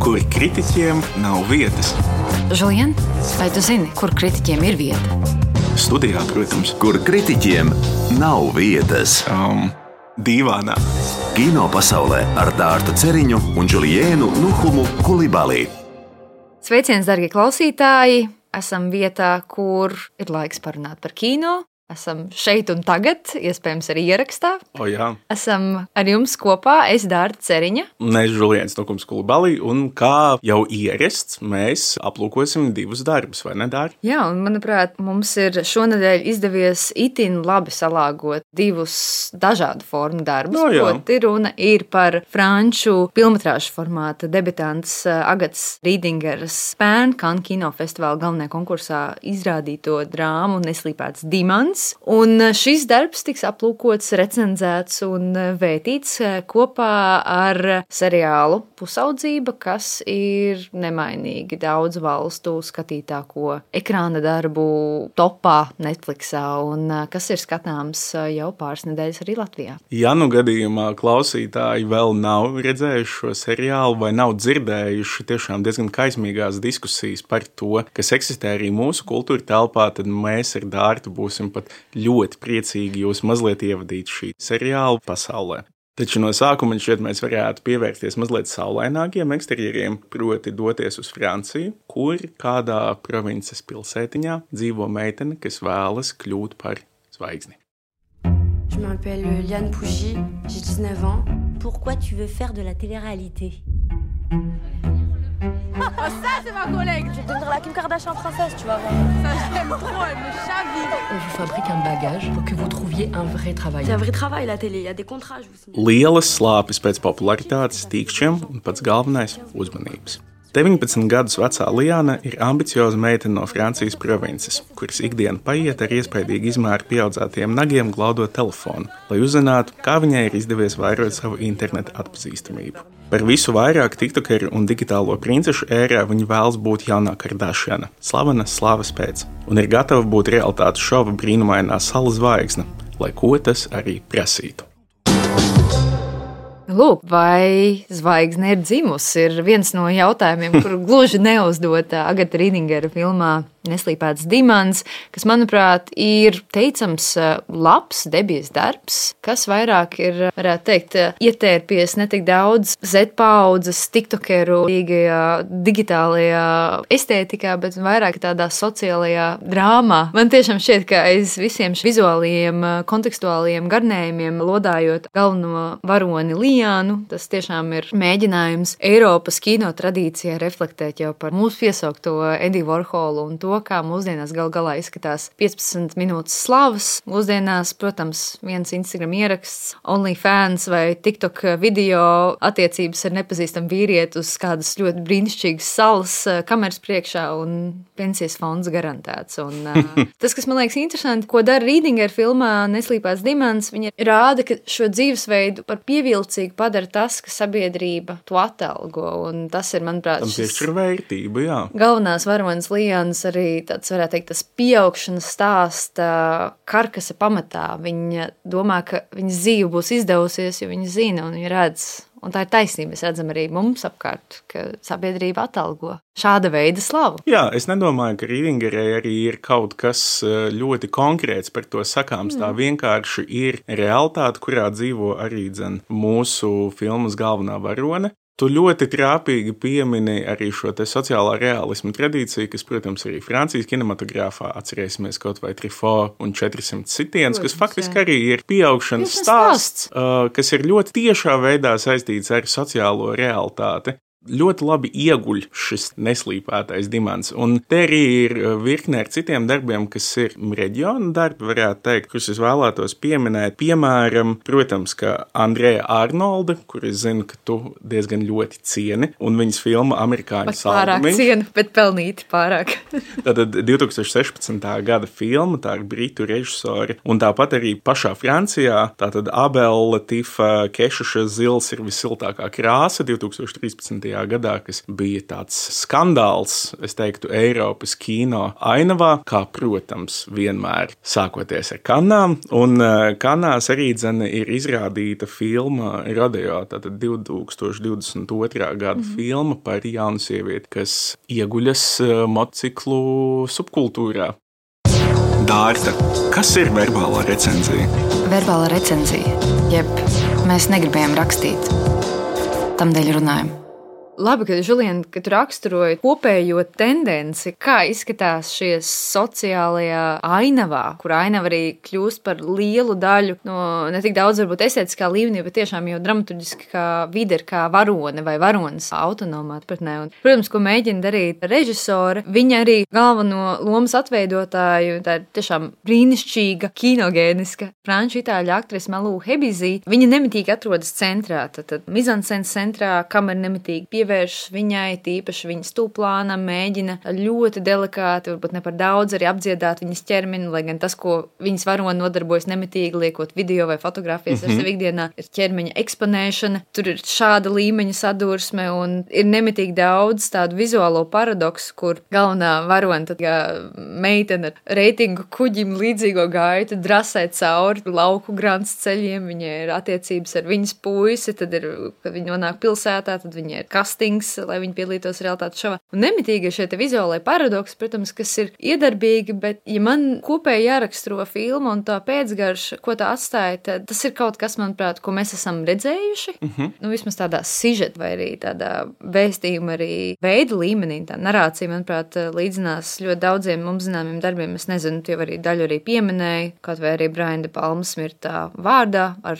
kur kritiķiem nav vietas. Žulien, vai tu zini, kur kritiķiem ir vieta? Studijā, protams. Kur kritiķiem nav vietas. Dīvānā. Kino pasaulē ar Dārtu Ceriņu un Juliēnu Nuhumu Kulibalī. Sveiciens, darbie klausītāji! Esam vietā, kur ir laiks parunāt par kino. Esam šeit un tagad, iespējams arī ierakstā. Jā. Esam ar jums kopā, es Dārta Ceriņa. Un es Juliēns Nuhums Kulibalī, un kā jau ierasts, mēs aplūkosim divus darbus, vai ne, Dār? Jā, un manuprāt, mums ir šonadēļ izdevies itin labi salāgot divus dažādu formu darbus. Proti runa ir par franču filmetrāžu formāta debitants Agatas Rīdingeras Spēn Cannes kinofestivāla galvenajā konkursā izrādīto drāmu Neslīpēts dimants. Un šis darbs tiks aplūkots, recenzēts un vētīts kopā ar seriālu Pusaudzība, kas ir nemainīgi daudzu valstu skatītāko ekrāna darbu topā Netflixā un kas ir skatāms jau pāris nedēļas arī Latvijā. Ja nu gadījumā klausītāji vēl nav redzējuši šo seriālu vai nav dzirdējuši tiešām diezgan kaismīgās diskusijas par to, kas eksistē arī mūsu kultūra telpā, tad mēs ar Dārtu būsim pat ļoti priecīgi jūs mazliet ievadīt šī seriāla pasaulē. Taču no sākuma šķiet mēs varētu pievērsties mazliet saulainākiem eksterjeriem, proti doties uz Franciju, kur kādā provinces pilsētiņā dzīvo meitene, kas vēlas kļūt par zvaigzni. Je m'appelle Liane Pougy, j'ai 19 ans. Pourquoi tu veux faire de la télé-réalité? Oh, ça, c'est ma collègue. Je vais devenir la Kim Kardashian française, tu vas voir. Ça, j'aime trop, elle me chavire. On vous fabrique un bagage pour que vous trouviez un vrai travail. C'est un vrai travail, la télé. Il y a des contrats, je vous signale. Lielas slāpes pēc popularitātes, tīkšķiem un pats galvenais – uzmanības. 19 gadus vecā Liana ir ambicioza meitene no Francijas provinces, kuras ikdiena paiet ar iespaidīgi izmēru pieaudzētiem nagiem glaudot telefonu, lai uzzinātu, kā viņai ir izdevies vairot savu interneta atpazīstamību. Par visu vairāk tiktokeru un digitālo princešu ērā viņa vēlas būt jaunā Kardashiana, slavena slavas pēc, un ir gatava būt realitātes šova brīnumainā salas zvaigzne, lai ko tas arī prasītu. Lūk, vai zvaigzne ir dzimusi, ir viens no jautājumiem, kuru gluži neuzdot Agata Rīdingera filmā Neslīpēts dimants, kas, manuprāt, ir teicams labs debijas darbs, kas vairāk ir, varētu teikt, ietērpies ne tik daudz Z-paudzes, tiktokeru, digitālajā estētikā, bet vairāk tādā sociālajā drāmā. Man tiešām šķiet, ka aiz visiem vizuālajiem, kontekstuālajiem garnējumiem, lodājot galveno varoni Lianu, tas tiešām ir mēģinājums Eiropas kino tradīcijā reflektēt jau par mūsu piesaukto Endiju Vorholu un to, kā mūsdienās gal galā izskatās 15 minūtes slavas. Mūsdienās, protams, viens Instagram ieraksts, OnlyFans vai TikTok video attiecības ar nepazīstamu vīrieti uz kādas ļoti brīnišķīgas salas kameras priekšā un pensijas fonds garantēts. Un, tas, kas man liekas interesanti, ko dara Rīdingera filmā Neslīpēts dimants, viņa rāda, ka šo dzīvesveidu par pievilcīgu padara tas, ka sabiedrība to atalgo. Un tas ir, manuprāt, tam piešķir vērtību, jā. Galvenās varonas Lianas arī tāds, varētu teikt, tas pieaugšanas stāsta karkasa pamatā. Viņa domā, ka viņas dzīve būs izdevusies, jo viņa zina un viņa redz. Un tā ir taisnība. Mēs redzam arī mums apkārt, ka sabiedrība atalgo šāda veida slavu. Jā, es nedomāju, ka Rīdingerai arī ir kaut kas ļoti konkrēts par to sakāms. Tā vienkārši ir realitāte, kurā dzīvo arī mūsu filmas galvenā varone. Tu ļoti trāpīgi piemini arī šo te sociālā realisma tradīciju, kas, protams, arī Francijas kinematogrāfā atcerēsimies kaut vai Truffaut un 400 sitienus, kas faktiski arī ir pieaugšanas stāsts, kas ir ļoti tiešā veidā saistīts ar sociālo realitāti. Ļoti labi ieguļ šis neslīpētais dimants. Un te arī ir virkne ar citiem darbiem, kas ir reģiona darbi, varētu teikt, kurus es vēlētos pieminēt. Piemēram, protams, ka Andreja Arnolda, kur es zinu, ka tu diezgan ļoti cieni, un viņas filma Amerikāņu saldumiņš. Pārāk cienu, bet pelnīti pārāk. Tātad 2016. gada filma, tā ir britu režisori, un tāpat arī pašā Francijā, tātad Abela Tifa Kešuša Zils ir visiltākā krāsa 2013. gadā, kas bija tāds skandāls, es teiktu, Eiropas kino ainavā, kā, protams, vienmēr sākoties ar Kannām. Un Kannās arī ir izrādīta filma Rodeo, tātad 2022. Gada filma par jaunu sievieti, kas ieguļas motociklu subkultūrā. Dārta, kas ir verbālā recenzija? Verbālā recenzija, jeb mēs negribējām rakstīt, tamdēļ runājam. Labi, ka Žuliena, kad raksturoja kopējo tendenci, kā izskatās šie sociālajā ainavā, kur ainava arī kļūst par lielu daļu no ne tik daudz varbūt estētiskā līmenī, bet tiešām jau dramaturģiski kā vide, kā varone vai varonas autonomā atpratnē. Un, protams, ko mēģina darīt režisore, viņa arī galveno lomas atveidotāju, tā ir tiešām brīnišķīga, kinogēniska franču itāļu aktrise Malū Hebizī. Viņa nemitīgi atrodas centrā, tad mizanscenes centrā, kamera nemitīgi pievērš viņai, tīpaši viņas tūplānam, mēģina ļoti delikāti, varbūt ne par daudz arī apdziedāt viņas ķermeni, lai gan tas, ko viņas varoni nodarbojas nemitīgi, liekot video vai fotografijas ar sevi ikdienā, ir ķermeņa eksponēšana. Tur ir šāda līmeņa sadursme un ir nemitīgi daudz tādu vizuālo paradoksu, kur galvenā varona, tad kā meitene ar reitingu kuģim līdzīgo gaitu drasē cauri lauku grants ceļiem, viņai ir attiecības ar viņas puisi, tad ir, kad viņi nonāk pilsētā, tad viņai ir lai viņi piedalītos realitātes šovā. Un nemitīgi ir šie te vizuālai paradoksi, protams, kas ir iedarbīgi, bet ja man kopēji jāraksturo filmu un tā pēcgarša, ko tā atstāja, tad tas ir kaut kas, manuprāt, ko mēs esam redzējuši. Nu, vismaz tādā sižeta vai arī tādā vēstījuma arī veida līmenī. Tā narācija, manuprāt, līdzinās ļoti daudziem mums zināmiem darbiem. Es nezinu, tu jau arī daļu arī pieminēji, kaut vai arī Briana De Palma smirtā vārdā ar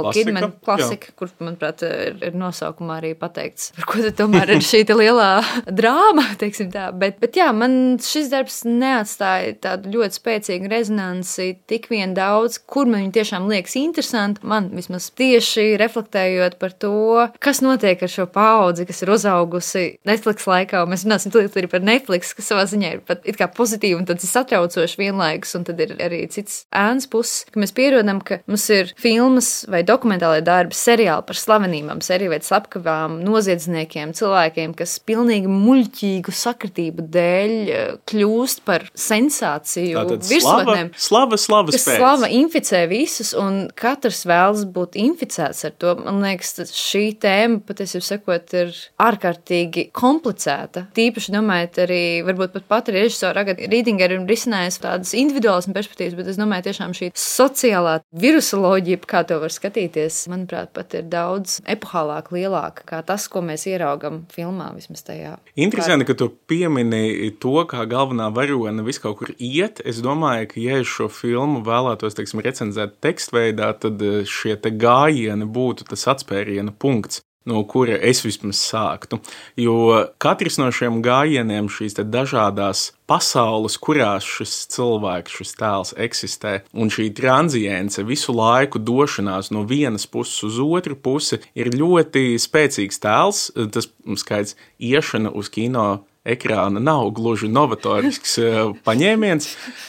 Kidman klasika, kur, manuprāt, ir nosaukumā arī pateikts, par ko tad tomēr ir šī lielā drāma, teiksim tā. Bet jā, man šis darbs neatstāja tādu ļoti spēcīgu rezonanci, tik vien daudz, kur man viņi tiešām liekas interesanti. Man vismaz tieši reflektējot par to, kas notiek ar šo paudzi, kas ir uzaugusi Netflix laikā, un mēs runāsim arī par Netflix, kas savā ziņā ir pat it kā pozitīvi, un tad ir satraucoši vienlaikus, un tad ir arī cits ēnas puses, ka mēs pierodam, ka mums ir filmas vai dokumentālai darbi, seriāli par slavenībām, seriju vai slepkavām, noziedzniekiem, cilvēkiem, kas pilnīgi muļķīgu sakritību dēļ kļūst par sensāciju virsotnēm. Slavas pēc. Slava inficē visus, un katrs vēlas būt inficēts ar to. Man liekas, šī tēma, patiesībā sakot, ir ārkārtīgi komplicēta. Tīpaši domājot arī, varbūt pat režisora Agata Rīdingera ir risinājusi tādas individuālas perspektīvas, bet es domāju, tiešām šī sociālā virusoloģija, kā to var skatīties, manuprāt, pat ir daudz epohālāk, lielāka kā tas, ko mēs ieraugam filmā vismaz tajā. Interesanti, ka tu piemini to, kā galvenā varone visu kaut kur iet. Es domāju, ka ja es šo filmu vēlētos, teiksim, recenzēt tekstveidā, tad šie te gājieni būtu tas atspēriena punkts, no kura es vismaz sāktu. Jo katrs no šiem gājieniem, šīs te dažādās pasaules, kurās šis cilvēks, šis tēls eksistē, un šī tranzience, visu laiku došanās no vienas puses uz otru pusi, ir ļoti spēcīgs tēls. Tas skaidrs, iešana uz kino ekrāna nav gluži novatorisks paņēmiens,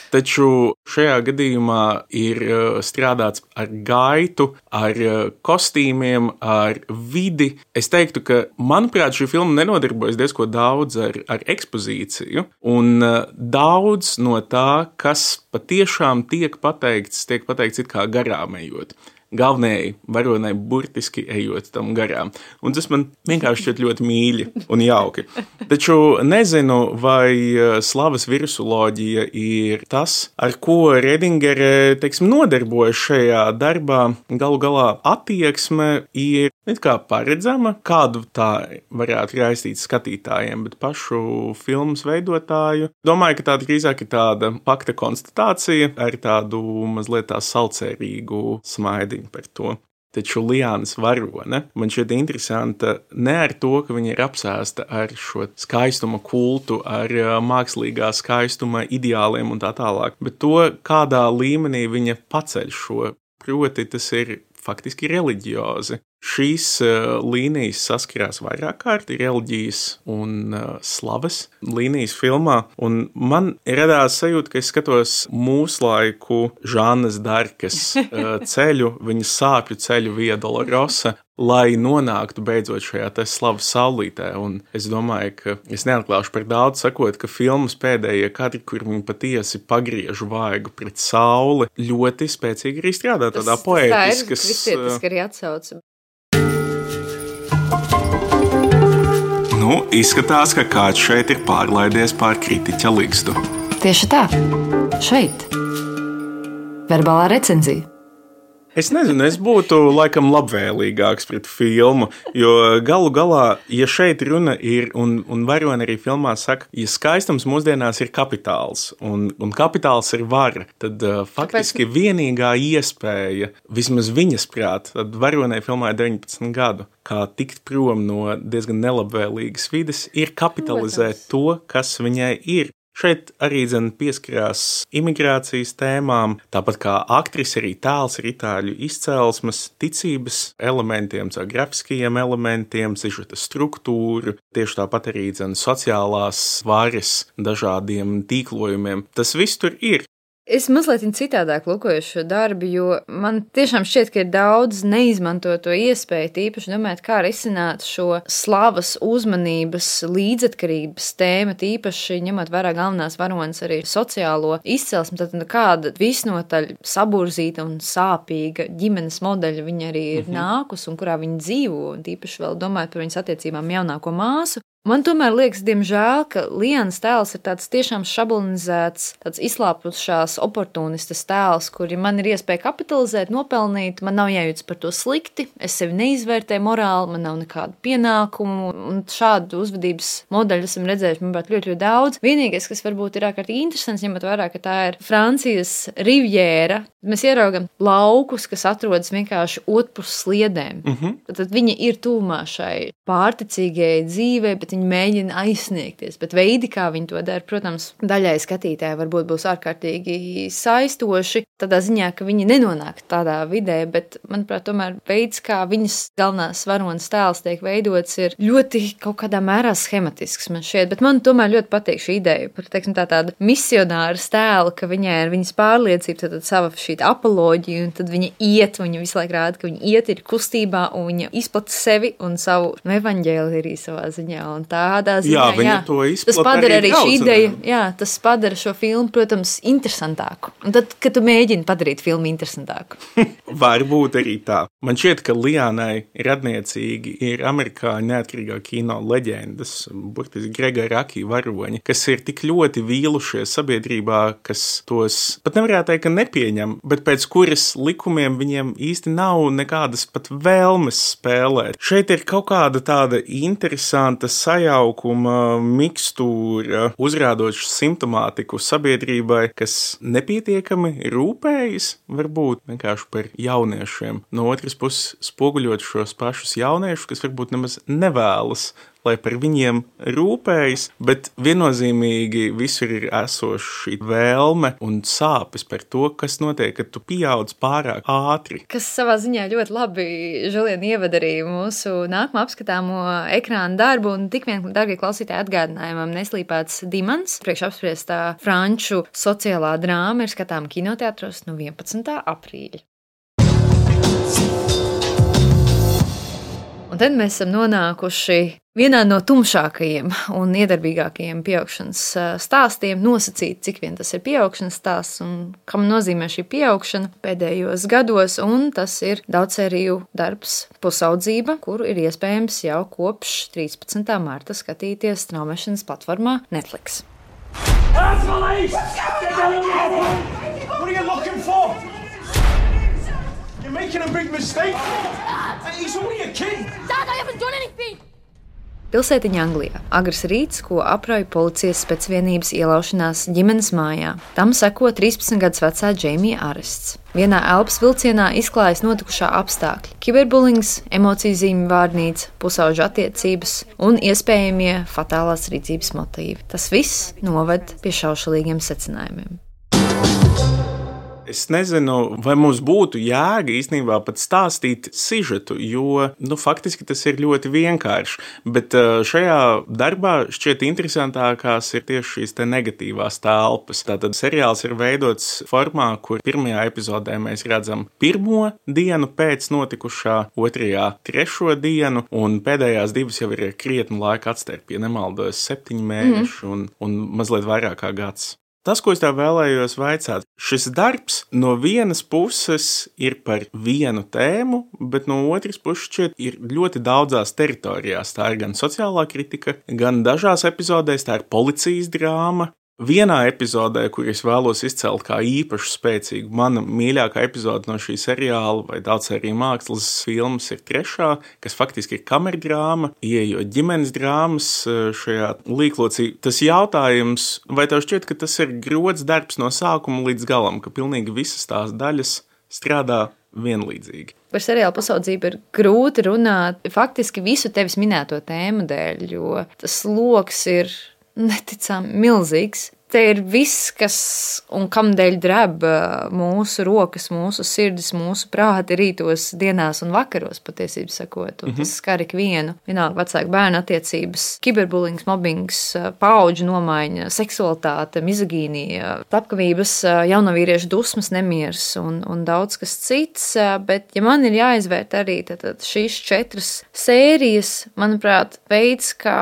taču šajā gadījumā ir strādāts ar gaitu, ar kostīmiem, ar vidi. Es teiktu, ka, manuprāt, šī filma nenodarbojas diezko daudz ar ekspozīciju, un daudz no tā, kas patiešām tiek pateikts it kā garām ejot. Galvenajai varonai burtiski ejot tam garām. Un tas man vienkārši šķiet ļoti mīļi un jauki. Taču nezinu, vai slavas virusoloģija ir tas, ar ko Redingere, teiksim, nodarbojas šajā darbā. Galu galā attieksme ir it kā paredzama, kādu tā varētu raistīt skatītājiem, bet pašu filmas veidotāju. Domāju, ka tā drīzāk ir tāda fakta konstatācija ar tādu mazliet tā salcērīgu smaidiņu par to. Taču Liānas varone man šķiet interesanta ne ar to, ka viņa ir apsēsta ar šo skaistuma kultu, ar mākslīgā skaistuma ideāliem un tā tālāk, bet to, kādā līmenī viņa paceļ šo. Proti, tas ir faktiski reliģiozi. Šīs līnijas saskarās vairāk kārt reliģijas un slavas līnijas filmā, un man radās sajūta, ka es skatos mūslaiku Žannas Darkas ceļu, viņas sāpju ceļu Via Dolorosa, lai nonāktu beidzot šajā te slavas saulītē. Un es domāju, ka es neatklāšu par daudz sakot, ka filmas pēdējie kadri, kur viņi patiesi pagriež vaigu pret sauli, ļoti spēcīgi arī strādā tādā poētiskas. Tas ir kristietiski arī atsauca. Izskatās, ka kāds šeit ir pārlaidies pār kritiķa ligzdu. Tieši tā. Šeit. Verbālā recenzija. Es nezinu, es būtu laikam labvēlīgāks pret filmu, jo galu galā, ja šeit runa ir, un varoni arī filmā saka, ja skaistums mūsdienās ir kapitāls, un kapitāls ir vara, tad faktiski vienīgā iespēja, vismaz viņas prāt, tad varonai filmā ir 19 gadu, kā tikt prom no diezgan nelabvēlīgas vides, ir kapitalizēt to, kas viņai ir. Šeit arī pieskarās imigrācijas tēmām, tāpat kā aktrise arī tēls ir itāļu izcelsmes, ticības elementiem, grafiskajiem elementiem, sižeta struktūru, tieši tāpat arī sociālās varas dažādiem tīklojumiem. Tas viss tur ir. Es mazliet citādāk lūkoju šo darbu, jo man tiešām šķiet, ka ir daudz neizmantoto iespēju, tīpaši domāt, kā risināt šo slavas, uzmanības, līdzatkarības tēmu, tīpaši ņemot vērā galvenās varonas arī sociālo izcelsmi, tad kāda visnotaļ saburzīta un sāpīga ģimenes modeļa viņa arī ir nākus un kurā viņa dzīvo, un tīpaši vēl domājot par viņas attiecībām jaunāko māsu. Man tomēr liekas, diemžēl, ka Lianas tēls ir tāds tiešām šablonizēts, tāds izslāpušās oportunistas tēls, kuri man ir iespēja kapitalizēt, nopelnīt, man nav jājūtas par to slikti, es sevi neizvērtēju morāli, man nav nekādu pienākumu, un šādu uzvedības modeļu esam redzējuši, manuprāt, ļoti daudz. Vienīgais, kas varbūt ir ārkārtīgi interesants, ņemot vērā, ka tā ir Francijas rivjēra, mēs ieraugam laukus, kas atrodas vienkārši otrpus sliedēm. Tad viņi ir tuvumā šai pārticīgajai dzīvei, bet viņi mēģina aizsniegties, bet veidi, kā viņi to dara, protams, daļai skatītāji varbūt būs ārkārtīgi saistoši, tādā ziņā, ka viņi nenonāk tādā vidē, bet, manuprāt, tomēr veids, kā viņas galvenās varonas tēls tiek veidots, ir ļoti kaut kādā mērā schematisks man šķiet, bet man tomēr ļoti patīk šī ideja par, teiksim, tāda misionāras tēla, ka viņai ir viņas pārliecība, tad sava šī apoloģija, un tad viņa iet, viņa visu laiku rāda, ka viņa iet ir kustībā, un viņa izplata sevi un savu evaņģēliju arī savā ziņā. Un tādā ziņā, viņa to izplata tas padara arī šī ideja, jā, tas padara šo filmu, protams, interesantāku. Un tad, kad tu mēģini padarīt filmu interesantāku. Varbūt arī tā. Man šķiet, ka Lianai radniecīgi ir amerikāņu neatkarīgā kino leģendas, burtiski Grega Raki varoņi, kas ir tik ļoti vīlušies sabiedrībā, kas tos pat nevarētu teikt, ka nepieņem, bet pēc kuras likumiem viņiem īsti nav nekādas pat vēlmes spēlēt. Šeit ir kaut kāda tāda interesanta sajaukuma mikstūra, uzrādoša simptomātiku sabiedrībai, kas nepietiekami rūpējas, varbūt vienkārši par jauniešiem. No otras puses, spoguļot šos pašus jauniešus, kas varbūt nemaz nevēlas, lai par viņiem rūpējas, bet viennozīmīgi visur ir esoši vēlme un sāpes par to, kas notiek, kad tu pieaudz pārāk ātri. Kas savā ziņā ļoti labi, Žulien, ievada arī mūsu nākamo apskatāmo ekrāna darbu, un tik vien, dargie klausītāji, atgādinājumam Neslīpēts dimans, priekš apspriestā franču sociālā drāma ir skatām kinoteātros no 11. aprīļa. Un tad mēs esam nonākuši vienā no tumšākajiem un iedarbīgākajiem pieaugšanas stāstiem, nosacīt, cik vien tas ir pieaugšanas stāsts un kam nozīmē šī pieaugšana pēdējos gados, un tas ir daudzsēriju darbs Pusaudzība, kuru ir iespējams jau kopš 13. marta skatīties straumēšanas platformā Netflix. You're making a big mistake. He's only a kid. Dad, I haven't done anything. Pilsētiņa Anglijā. Agrs rīts, ko aprauj policijas specvienības ielaušanās ģimenes mājā. Tam seko 13 gadus vecā Džeimija arests. Vienā elpas vilcienā izklājas notikušā apstākļi. Kiberbulings, emociju zīmju vārnīca, pusauģu attiecības un iespējamie fatālās rīcības motīvi. Tas viss noved pie šaušalīgiem secinājumiem. Es nezinu, vai mums būtu jēga īstenībā pat stāstīt sižetu, jo faktiski tas ir ļoti vienkārši. Bet šajā darbā šķiet interesantākās ir tieši šīs te negatīvās telpas. Tātad seriāls ir veidots formā, kur pirmajā epizodē mēs redzam pirmo dienu pēc notikušā, otrajā trešo dienu, un pēdējās divas jau ir krietni laika atstarp, ja nemaldos 7 mēneši un mazliet vairāk kā gads. Tas, ko es tev vēlējos vaicāt, šis darbs no vienas puses ir par vienu tēmu, bet no otras puses šķiet ir ļoti daudzās teritorijās. Tā ir gan sociālā kritika, gan dažās epizodēs tā ir policijas drāma. Vienā epizodē, kur es vēlos izcelt kā īpaši spēcīgu, mana mīļākā epizode no šī seriāla vai daudz arī mākslas filmas ir trešā, kas faktiski ir kamerdrāma, ieejot ģimenes drāmas šajā līklocī. Tas jautājums, vai tev šķiet, ka tas ir grods darbs no sākuma līdz galam, ka pilnīgi visas tās daļas strādā vienlīdzīgi? Par seriāla pasaudzību ir grūti runāt faktiski visu tevis minēto tēmu dēļ, jo tas loks ir neticami milzīgs. Te ir viss, kas un kam dēļ dreb mūsu rokas, mūsu sirdis, mūsu prāti rītos, dienās un vakaros, patiesībā sakot. Un tas skar ikvienu. Vienalga vecāku bērnu attiecības, kiberbulings, mobbings, paudžu nomaiņa, seksualitāte, mizogīnija, slepkavības, jaunovīriešu dusmas, nemieris un daudz kas cits. Bet, ja man ir jāizvērt arī tad šīs 4 sērijas, manuprāt, veids, kā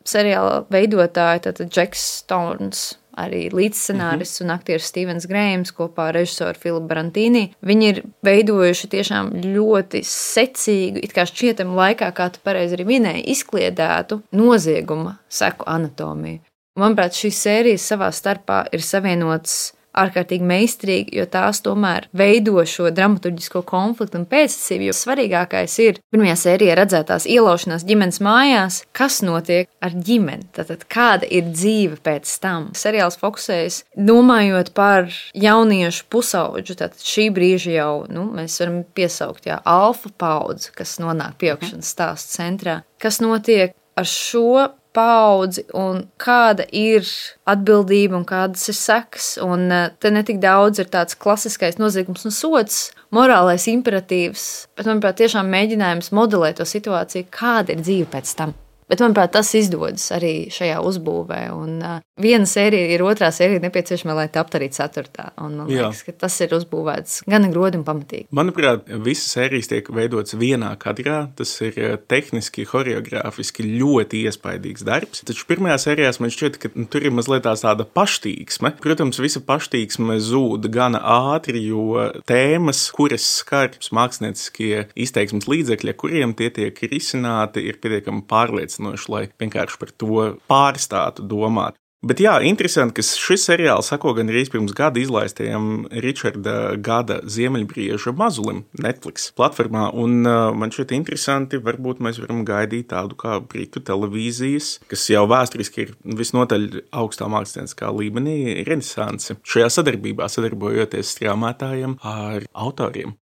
seriāla veidotāji, tātad Džeks Storns, arī līdzscenārists un aktieris Stevens Grējams kopā ar režisoru Filipu Brantīni. Viņi ir veidojuši tiešām ļoti secīgu, it kā šķietami laikā, kā tu pareizi arī minēji, izkliedētu nozieguma seku anatomiju. Manuprāt, šīs sērijas savā starpā ir savienotas ārkārtīgi meistarīgi, jo tās tomēr veido šo dramaturģisko konfliktu un pēctecību, jo svarīgākais ir pirmajā sērijā redzētās ielaušanās ģimenes mājās, kas notiek ar ģimeni, tātad kāda ir dzīve pēc tam. Seriāls fokusējas domājot par jauniešu pusaudžu, tātad šī brīža jau, mēs varam piesaukt, alfa paudzi, kas nonāk pieaugšanas stāstu centrā, kas notiek ar šo paudzi un kāda ir atbildība un kādas ir sekas. Un te ne tik daudz ir tāds klasiskais noziegums un sods, morālais imperatīvs, bet, manuprāt, tiešām mēģinājums modelēt to situāciju, kāda ir dzīve pēc tam. Bet, manuprāt, tas izdodas arī šajā uzbūvē. Un viena sērija ir otrā sērija nepieciešama, lai taptu arī 4. Un man liekas, ka tas ir uzbūvēts gan grodi un pamatīgi. Manuprāt, visas sērijas tiek veidotas vienā kadrā. Tas ir tehniski, choreogrāfiski ļoti iespaidīgs darbs. Taču pirmajā sērijā man šķiet, ka tur ir mazliet tāda paštīksme. Protams, visa paštīksme zūd gana ātri, jo tēmas, kuras skar mākslnieciskie izteiksmes līdzekļi, kuriem tie tiek risināti, ir pietiekami pārliecinoši, lai vienkārši par to pārstātu domāt. Bet jā, interesanti, ka šis seriāls sako gan arī pirms gada izlaistajam Richarda Gada Ziemeļbrieža mazulim Netflix platformā, un man šķiet interesanti, varbūt mēs varam gaidīt tādu kā britu televīzijas, kas jau vēsturiski ir visnotaļ augstā mākslinieckā līmenī renesanse. Šajā sadarbībā sadarbojoties strāmētājiem ar autoriem.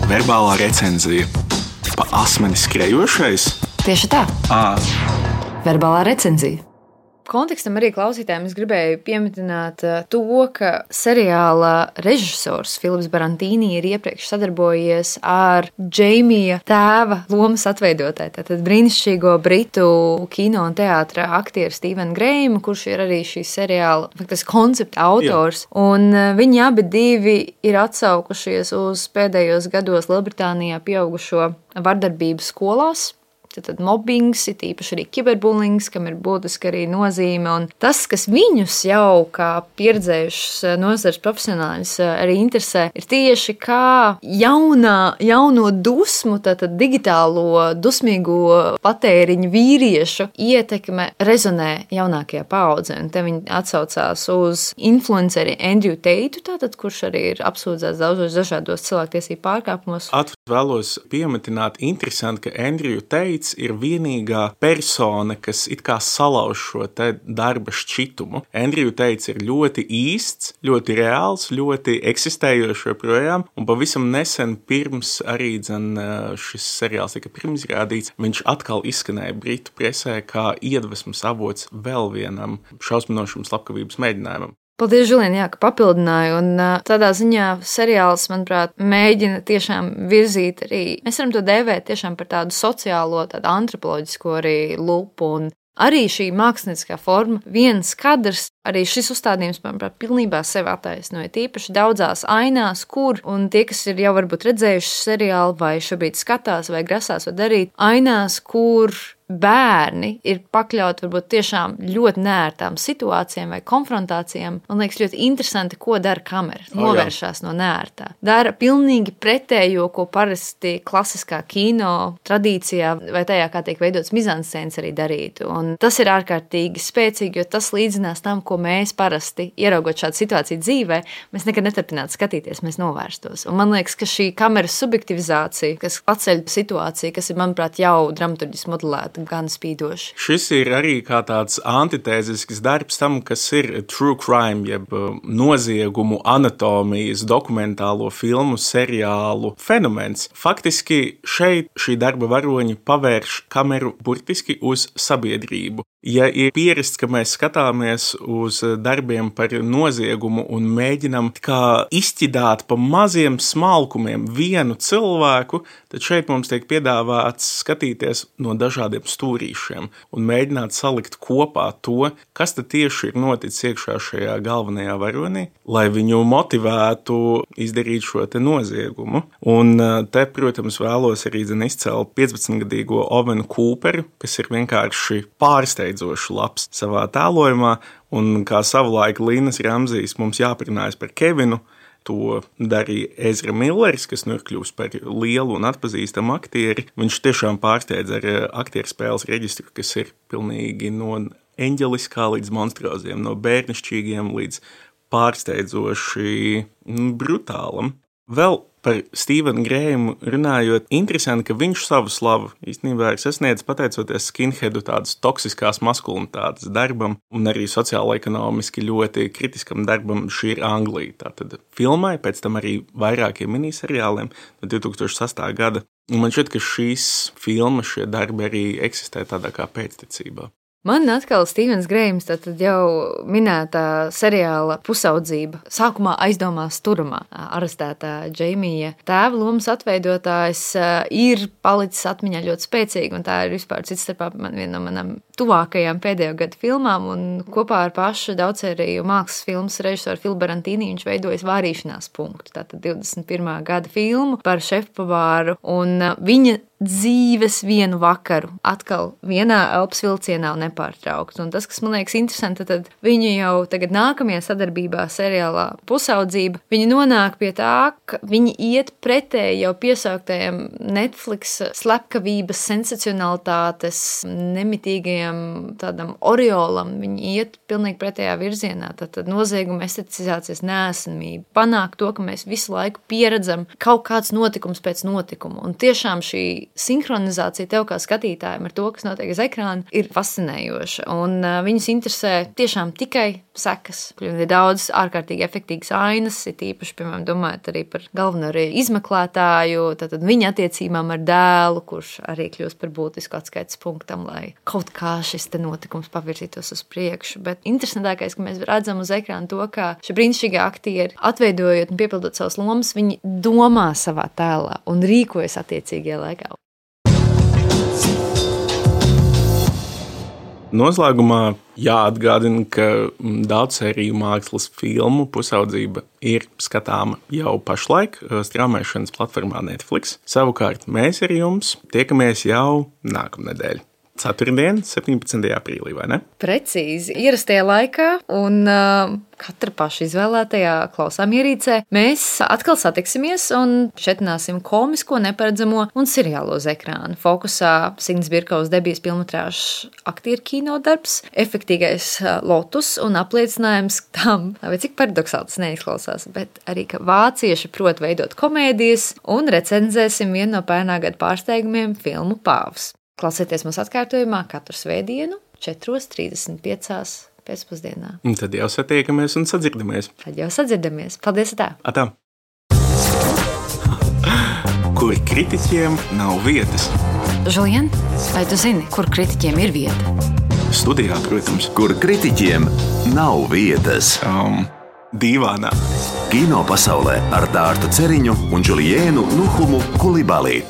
Verbālā recenzija. Pa asmeni skrejošais? Tieši tā. Verbālā recenzija. Kontekstam arī klausītājiem es gribēju pieminēt to, ka seriāla režisors Filips Brantīni ir iepriekš sadarbojies ar Džeimija tēva lomas atveidotāju, tātad brīnišķīgo britu kino un teātra aktieru Stevenu Grējumu, kurš ir arī šī seriāla koncepta autors. Jā. Un viņi abi divi ir atsaukušies uz pēdējos gados Lielbritānijā pieaugušo vardarbību skolās. Tad mobbings, it īpaši arī kiberbulings, kam ir būtiski arī nozīme. Un tas, kas viņus jau kā pieredzējušas nozares profesionāļus arī interesē, ir tieši kā jauno dusmu, tātad digitālo dusmīgo patēriņu vīriešu ietekme rezonē jaunākajā paudzē. Un te viņi atsaucās uz influenceri Andrew Teitu, tātad, kurš arī ir apsūdzēts daudzos dažādos cilvēktiesību pārkāpumos. Vēlos piemetināt interesanti, ka Andrew Teits ir vienīgā persona, kas it kā salauž šo te darba šķitumu. Andrew Teits ir ļoti īsts, ļoti reāls, ļoti eksistējošs joprojām, un pavisam nesen pirms arī šis seriāls tika pirmizrādīts, viņš atkal izskanēja britu presē kā iedvesmas avots vēl vienam šausminošam slepkavības mēģinājumam. Paldies, Žulien, jā, ka papildināju. Un tādā ziņā seriāls, manuprāt, mēģina tiešām virzīt arī, mēs varam to dēvēt tiešām par tādu sociālo, tādu antropoloģisko arī lupu. Un arī šī mākslinieckā forma, viens kadrs, arī šis uzstādījums, manuprāt, pilnībā sevi attaisnoja. Tīpaši daudzās ainās, kur, un tie, kas ir jau varbūt redzējuši seriālu vai šobrīd skatās vai grasās vai darīt, ainās, kur bērni ir pakļauti varbūt tiešām ļoti neērtām situācijām vai konfrontācijām. Man liekas ļoti interesanti, ko dara kamera. Novēršās no neērtā. Dara pilnīgi pretējo, ko parasti klasiskā kino tradīcijā vai tajā, kā tiek veidots mizanscēns arī darītu. Un tas ir ārkārtīgi spēcīgi, jo tas līdzinās tam, ko mēs parasti, ieraugot šādu situāciju dzīvē, mēs nekad neturpinātu skatīties, mēs novērstos. Un man liekas, ka šī kameras subjektivizācija, kas paceļ situāciju, kas ir, manuprāt, jau dramaturģiski modelēta, gan spīdoši. Šis ir arī kā tāds antitēzisks darbs tam, kas ir true crime, jeb noziegumu anatomijas, dokumentālo filmu, seriālu fenomens. Faktiski šeit šī darba varoņi pavērš kameru burtiski uz sabiedrību. Ja ir pierasts, ka mēs skatāmies uz darbiem par noziegumu un mēģinam kā izķidāt pa maziem smalkumiem vienu cilvēku, tad šeit mums tiek piedāvāts skatīties no dažādiem stūrīšiem un mēģināt salikt kopā to, kas tad tieši ir noticis iekšā šajā galvenajā varonī, lai viņu motivētu izdarīt šo te noziegumu. Un te, protams, vēlos arī izcelt 15-gadīgo Ovenu Kūperu, kas ir vienkārši pārsteidzoši labs savā tēlojumā, un kā savulaik Līnas Ramzijs mums jāparunājas par Kevinu, to darīja Ezra Millers, kas nu ir kļūst par lielu un atpazīstamu aktieri. Viņš tiešām pārsteidz ar aktieru spēles reģistru, kas ir pilnīgi no eņģeliskā līdz monstroziem, no bērnišķīgiem līdz pārsteidzoši brutālam. Vēl par Stevenu Grējumu runājot, interesanti, ka viņš savu slavu īstenībā ir sasniedzis pateicoties skinheadu tādas toksiskās maskulinitātes darbam un arī sociālo-ekonomiski ļoti kritiskam darbam Šī ir Anglija. Tātad filmai, pēc tam arī vairākiem miniseriāliem no 2008. gada. Un man šķiet, ka šīs filmas, šie darbi arī eksistē tādā kā pēctecībā. Man atkal Stevens Grējums, tātad jau minētā seriāla Pusaudzība. Sākumā aizdomās turamā arestētā Džeimija tēva lomas atveidotājs ir palicis atmiņā ļoti spēcīgi, un tā ir vispār cits starpā viena no manām tuvākajām pēdējo gadu filmām, un kopā ar pašu daudzsēriju mākslas filmas režisoru Filu Barantīni viņš veidojas Vārīšanās punktu, tātad 21. gada filmu par šefpavāru, un viņa dzīves vienu vakaru atkal vienā elpas vilcienā un nepārtraukt. Un tas, kas man liekas interesanti, tad viņi jau tagad nākamajā sadarbībā seriālā Pusaudzība, viņi nonāk pie tā, ka viņi iet pretēji jau piesauktajam Netflix slepkavības, sensacionalitātes, nemitīgajam tādam oriolam. Viņi iet pilnīgi pretējā virzienā. Tad nozieguma esteticizācijas neesamība panāk to, ka mēs visu laiku pieredzam kaut kāds notikums pēc notikuma. Un tiešām šī sinhronizācija tev kā skatītājiem ar to, kas notiek uz ekrāna, ir fascinējoša. Un viņus interesē tiešām tikai sekas. Ir daudz ārkārtīgi efektīgas ainas, ir īpaši, piemēram, domājot arī par galveno arī izmeklētāju, tātad viņa attiecībām ar dēlu, kurš arī kļūst par būtisku atskaites punktam, lai kaut kā šis te notikums pavirzītos uz priekšu. Bet interesantākais, ka mēs redzam uz ekrāna to, kā šie brīnišķīgie aktieri, atveidojot un piepildot savas lomas, viņi domā savā tēlā un rīkojas attiecīgajā laikā. Noslēgumā jāatgādina, ka daudzsēriju mākslas filmu Pusaudzība ir skatāma jau pašlaik straumēšanas platformā Netflix. Savukārt mēs ar jums tiekamies jau nākamnedēļ. Ceturtdien, 17. aprīlī, vai ne? Precīzi, ierastajā laikā un katra paša izvēlētajā klausāmierīcē mēs atkal satiksimies un šetināsim komisko, neparedzamo un seriālo uz ekrānu. Fokusā Signas Birkaus debijas filmatrāžas aktieru kino darbs, efektīgais lotus un apliecinājums tam, vai cik paradoksāli tas neizklausās, bet arī, ka vācieši prot veidot komēdijas un recenzēsim vienu no pērnā gada pārsteigumiem filmu Pāvs. Klausieties mūsu atkārtojumā katru svētdienu 4:35 pēcpusdienā. Un tad jau satiekamies un sadzirdamies. Paldies, tā! Atā! Kur kritiķiem nav vietas? Žulien, vai tu zini, kur kritiķiem ir vieta? studijā, protams. Kur kritiķiem nav vietas. Dīvānā. Kino pasaulē ar Dārtu Ceriņu un Juliēnu Nuhumu Kulibali.